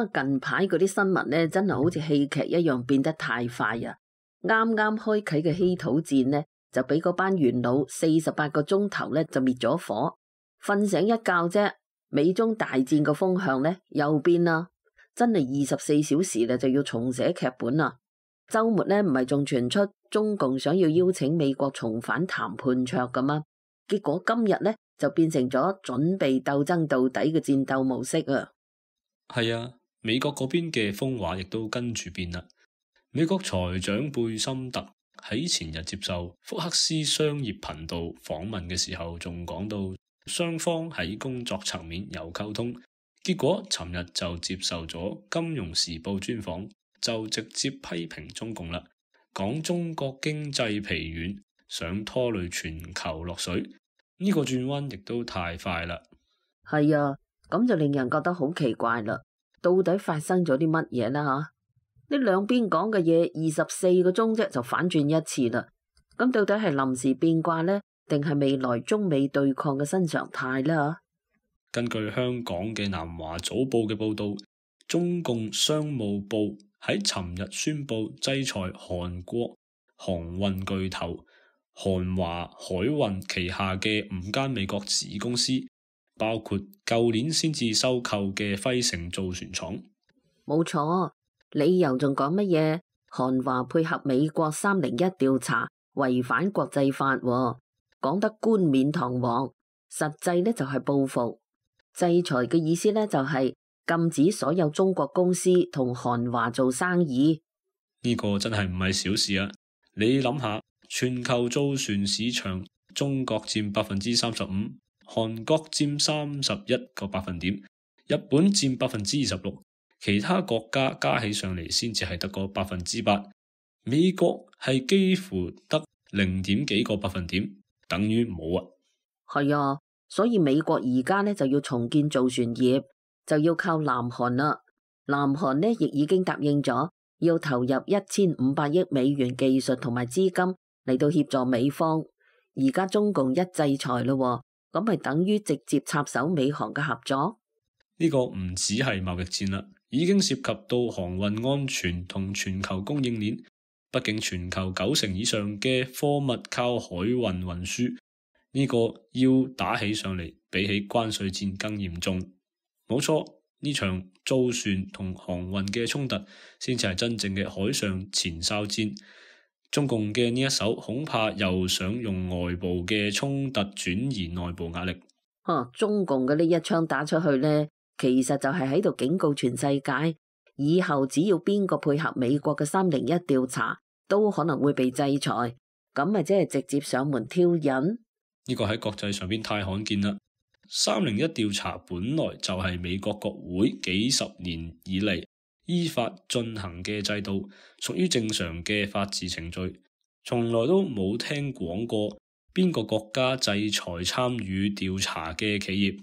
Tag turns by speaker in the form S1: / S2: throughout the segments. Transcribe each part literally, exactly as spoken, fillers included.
S1: 啊，近排嗰啲新聞咧，真係好似戲劇一樣變得太快啊！啱啱開啟嘅稀土戰呢，就俾嗰班元老四十八個鐘頭咧就滅咗火，瞓醒一覺啫，美中大戰個風向咧又變啦，真係二十四小時咧就要重寫劇本啦。周末咧唔係仲傳出中共想要邀請美國重返談判桌噶嘛？結果今日咧就變成咗準備鬥爭到底嘅戰鬥模式啊！
S2: 係啊，美國嗰邊嘅風話亦都跟住變啦。美國財長貝森特喺前日接受福克斯商業頻道訪問嘅時候，仲講到雙方喺工作層面有溝通。結果尋日就接受咗《金融時報》專訪，就直接批評中共啦，講中國經濟疲軟，想拖累全球落水。呢個轉彎亦都太快啦。
S1: 係啊。咁就令人覺得好奇怪啦，到底發生咗啲乜嘢啦？吓，呢兩邊講嘅嘢二十四個鐘啫就反轉一次啦。咁到底係臨時變卦呢？定係未來中美對抗嘅新常態呢？
S2: 根據香港嘅南華早報嘅報道，中共商務部喺尋日宣布制裁韓國航運巨頭韓華海運旗下嘅五間美國子公司。包括舊年先至收購嘅輝盛造船廠，
S1: 冇錯，理由仲講乜嘢？韓華配合美國三零一調查，違反國際法，講得冠冕堂皇，實際呢就係報復。制裁嘅意思呢就係禁止所有中國公司同韓華做生意。
S2: 呢個真係唔係小事啊！你諗下，全球造船市場，中國佔百分之三十五。韓國佔三十一個百分點，日本佔百分之二十六，其他國家加起上嚟先至係得個百分之八，美國係幾乎得零點幾個百分點，等於冇啊。係
S1: 啊，所以美國而家呢就要重建造船業，就要靠南韓啦。南韓呢亦已經答應咗要投入一千五百億美元技術同埋資金嚟到協助美方。而家中共一制裁咯。咁咪等於直接插手美韓嘅合作？
S2: 呢個唔只係貿易戰啦，已經涉及到航運安全同全球供應鏈。畢竟全球九成以上嘅貨物靠海運運輸，呢個要打起上嚟，比起關稅戰更嚴重。冇錯，呢場造船同航運嘅衝突，先至係真正嘅海上前哨戰。中共嘅呢一手恐怕又想用外部嘅衝突轉移內部壓力。
S1: 啊，中共嘅呢一槍打出去呢，其實就係喺度警告全世界，以後只要邊個配合美國嘅三零一調查，都可能會被制裁。咁咪即係直接上門挑釁？
S2: 呢個喺國際上邊太罕見啦。三零一調查本來就係美國國會幾十年以嚟依法進行嘅制度，屬於正常嘅法治程序，從來都冇聽講過邊個國家制裁參與調查嘅企業。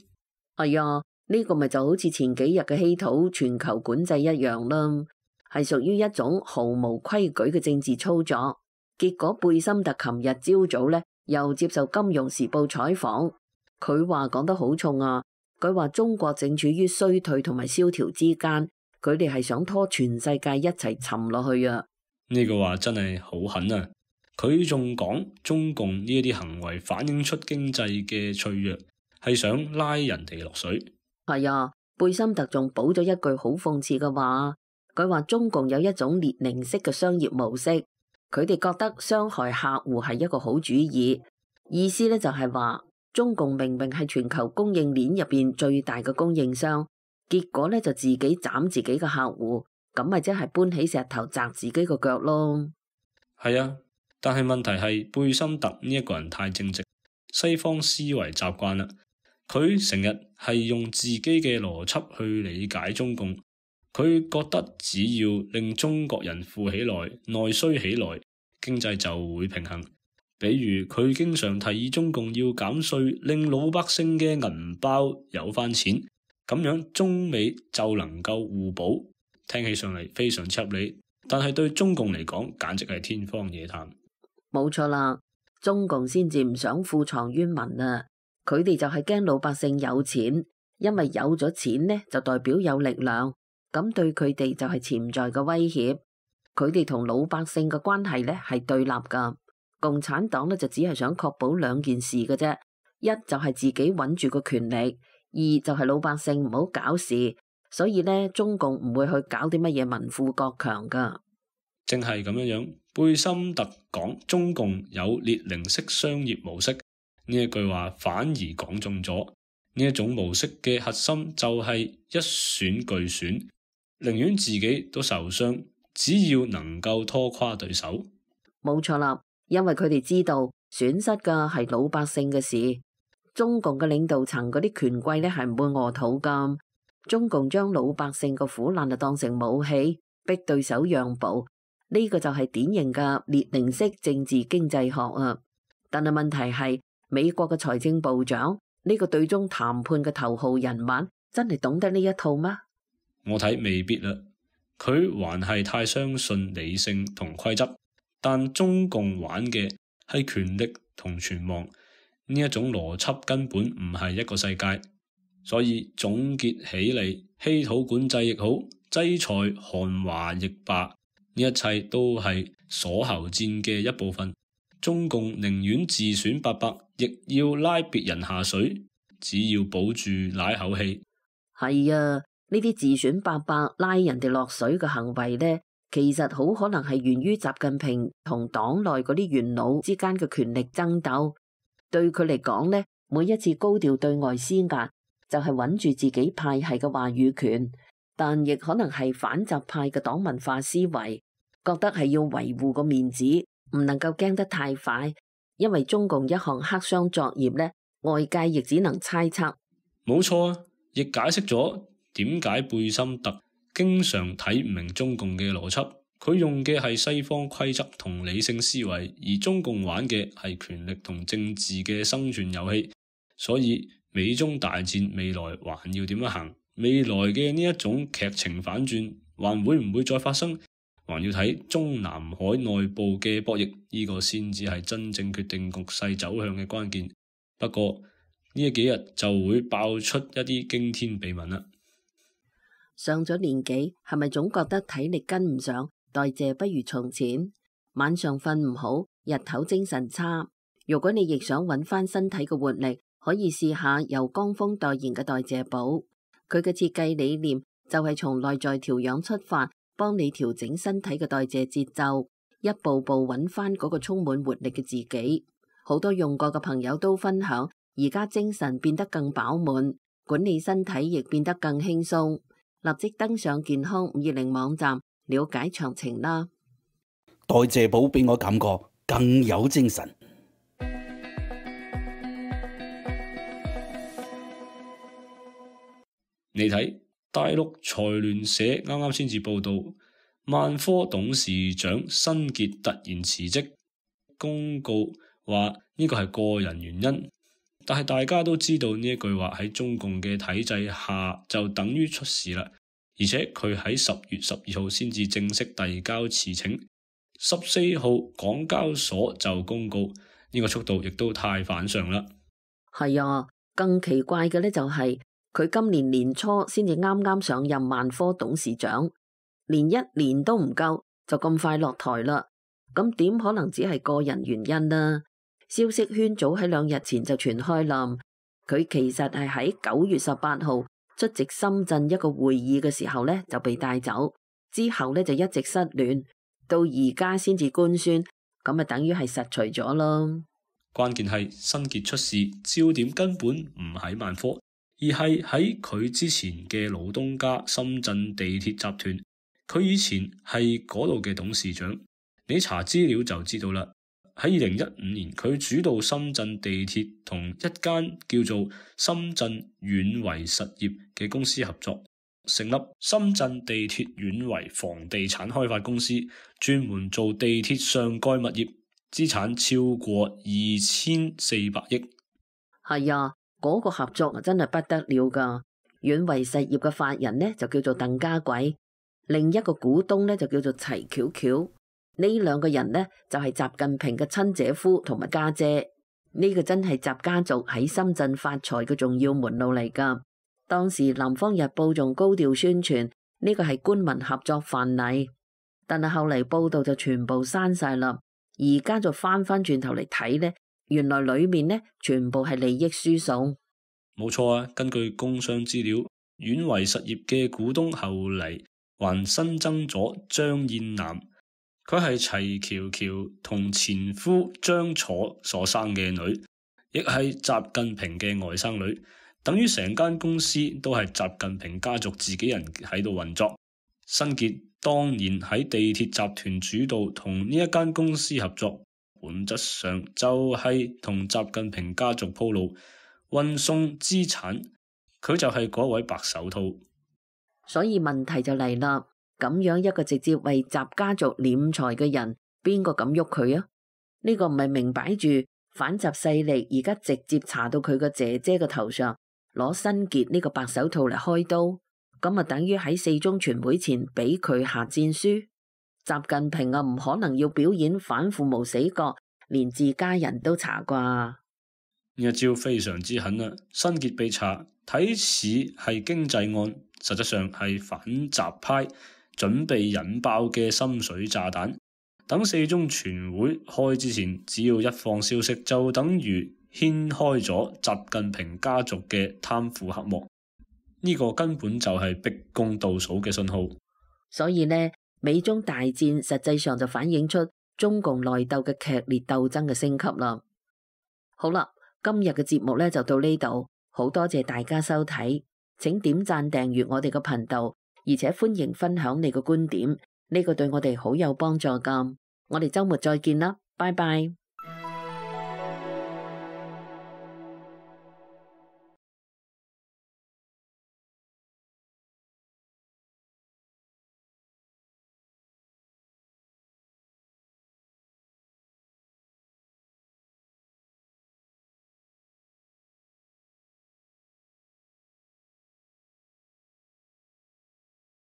S1: 係啊，呢個咪就好似前幾日嘅稀土全球管制一樣啦，係屬於一種毫無規矩嘅政治操作。結果貝森特琴日朝早呢又接受《金融時報》採訪，佢話講得好重啊，佢話中國正處於衰退同埋蕭條之間。佢哋係想拖全世界一齊沉落去啊！
S2: 呢個話真係好狠啊！佢仲講中共呢一啲行為反映出經濟嘅脆弱，係想拉人哋落水。
S1: 係啊，貝森特仲補咗一句好諷刺嘅話，佢話中共有一種列寧式嘅商業模式，佢哋覺得傷害客戶係一個好主意。意思咧就係話中共明明係全球供應鏈入邊最大嘅供應商。結果咧就自己斬自己嘅客戶，咁咪即係搬起石頭砸自己個腳咯。
S2: 係啊，但係問題係貝森特呢一個人太正直，西方思維習慣啦，佢成日係用自己嘅邏輯去理解中共，佢覺得只要令中國人富起來、內需起來，經濟就會平衡。比如佢經常提議中共要減稅，令老百姓嘅銀包有翻錢。咁樣中美就能夠互補，聽起上嚟非常合理，但係對中共嚟講簡直係天方夜譚。
S1: 冇錯啦，中共先至唔想庫藏於民啊，佢哋就係驚老百姓有錢，因為有咗錢呢就代表有力量，咁對佢哋就係潛在嘅威脅。佢哋同老百姓嘅關係咧係對立噶。共產黨咧就只係想確保兩件事嘅啫，一就係自己穩住個權力，二就係老百姓唔好搞事。所以咧，中共唔會去搞啲乜嘢民富國強噶。
S2: 正係咁樣樣，貝森特講中共有列寧式商業模式呢一句話，反而講中咗呢一種模式嘅核心就係一損俱損，寧願自己都受傷，只要能夠拖垮對手。
S1: 冇錯啦，因為佢哋知道損失嘅係老百姓嘅事，中共嘅領導層嗰啲權貴咧係唔會餓肚噶。中共將老百姓嘅苦難就當成武器，逼對手讓步，呢個就係典型嘅列寧式政治經濟學啊！但係問題係，美國嘅財政部長呢個對中談判嘅頭號人物，真係懂得呢一套嗎？
S2: 我睇未必啦，佢還係太相信理性同規則，但中共玩嘅係權力同存亡，呢一種邏輯根本唔係一個世界。所以總結起嚟，稀土管制亦好，制裁韓華亦罷，呢一切都係鎖喉戰嘅一部分。中共寧願自損八百，亦要拉別人下水，只要保住奶口氣。
S1: 係啊，呢啲自損八百拉人哋落水嘅行為呢，其實好可能係源於習近平同黨內嗰啲元老之間嘅權力爭鬥。對佢嚟講呢，每一次高調對外施壓，就係穩住自己派系嘅話語權，但亦可能係反習派嘅黨文化思維，覺得係要維護個面子，唔能夠驚得太快，因為中共一項黑箱作業呢，外界亦只能猜測。
S2: 冇錯啊，亦解釋咗點解貝森特經常睇唔明中共嘅邏輯，佢用嘅係西方規則同理性思維，而中共玩嘅係權力同政治嘅生存遊戲，所以美中大戰未來還要點樣行？未來嘅呢一種劇情反轉，還會唔會再發生？還要睇中南海內部嘅博弈，呢個先至係真正決定局勢走向嘅關鍵。不過呢幾日就會爆出一啲驚天秘聞啦。
S1: 上咗年紀，係咪總覺得體力跟唔上，代謝不如從前？晚上瞓唔好，日頭精神差。如果你亦想揾翻身體嘅活力，可以試下由江峰代言嘅代謝寶，佢嘅設計理念就係從內在調養出發，幫你調整身體嘅代謝節奏，一步步揾翻嗰個充滿活力嘅自己。好多用過嘅朋友都分享，而家精神變得更飽滿，管理身體亦變得更輕鬆。立即登上健康五二零網站了解詳情啦。
S3: 代謝寶俾我感覺更有精神。
S2: 你睇大陸財聯社啱啱先至報道，萬科董事長辛傑突然辭職，公告話呢個係個人原因。但係大家都知道呢一句話喺中共嘅體制下就等於出事啦，而且佢喺十月十二號先至正式遞交辭呈，十四號港交所就公告，呢個速度亦都太反常啦。
S1: 係啊，更奇怪嘅呢就係佢今年年初先至啱啱上任萬科董事長，連一年都唔夠就咁快落台啦。咁點可能只係個人原因呢？消息圈早喺兩日前就傳開啦，佢其實係喺九月十八號出席深圳一個會議嘅時候呢就被帶走，之後呢就一直失聯，到而家先至官宣，咁啊等於係實除咗咯。
S2: 關鍵係辛傑出事，焦點根本唔喺萬科，而係喺佢之前嘅老東家深圳地鐵集團。佢以前係嗰度嘅董事長，你查資料就知道啦。喺二零一五年，佢主導深圳地鐵同一間叫做深圳遠維實業嘅公司合作，成立深圳地鐵遠維房地產開發公司，專門做地鐵上蓋物業，資產超過二千四百億。
S1: 係啊，嗰個合作啊真係不得了噶。遠維實業嘅法人呢就叫做鄧家貴，另一個股東呢就叫做齊巧巧。呢兩個人呢，就係習近平嘅親姐夫同埋家姐，呢個真係習家族喺深圳發財嘅重要門路嚟噶。當時《南方日報》仲高調宣傳，呢個係官民合作範例。但係後嚟報道就全部刪晒啦，而家就翻翻轉頭嚟睇呢，原來裏面呢全部係利益輸送。
S2: 冇錯啊，根據工商資料，遠維實業嘅股東後嚟還新增咗張燕南，佢係齊喬喬同前夫張楚所生嘅女，亦係習近平嘅外甥女，等於成間公司都係習近平家族自己人喺度運作。新傑當年喺地鐵集團主導同呢一間公司合作，本質上就係同習近平家族鋪路運送資產，佢就係嗰位白手套。
S1: 所以問題就嚟啦，咁樣一個直接為習家族斂財嘅人，邊個敢喐佢啊？呢個唔係明擺住反習勢力而家直接查到佢個姐姐嘅頭上，攞新傑呢個白手套嚟開刀。咁啊，等於喺四中全會前俾佢下戰書。習近平啊，唔可能要表演反腐無死角，連自家人都查啩。
S2: 呢一招非常之狠啊！新傑被查，睇似係經濟案，實質上係反習派準備引爆嘅深水炸彈。等四中全會開之前，只要一放消息，就等於掀開咗習近平家族嘅貪腐黑幕。呢個根本就係逼宮倒數嘅信號，
S1: 所以呢，美中大戰實際上就反映出中共內鬥嘅劇烈鬥爭嘅升級啦。好啦，今日嘅節目呢就到呢度，好多謝大家收睇，請點讚訂閱我哋嘅頻道，而且歡迎分享你嘅觀點，呢個對我哋好有幫助噶。我哋周末再見啦，拜拜。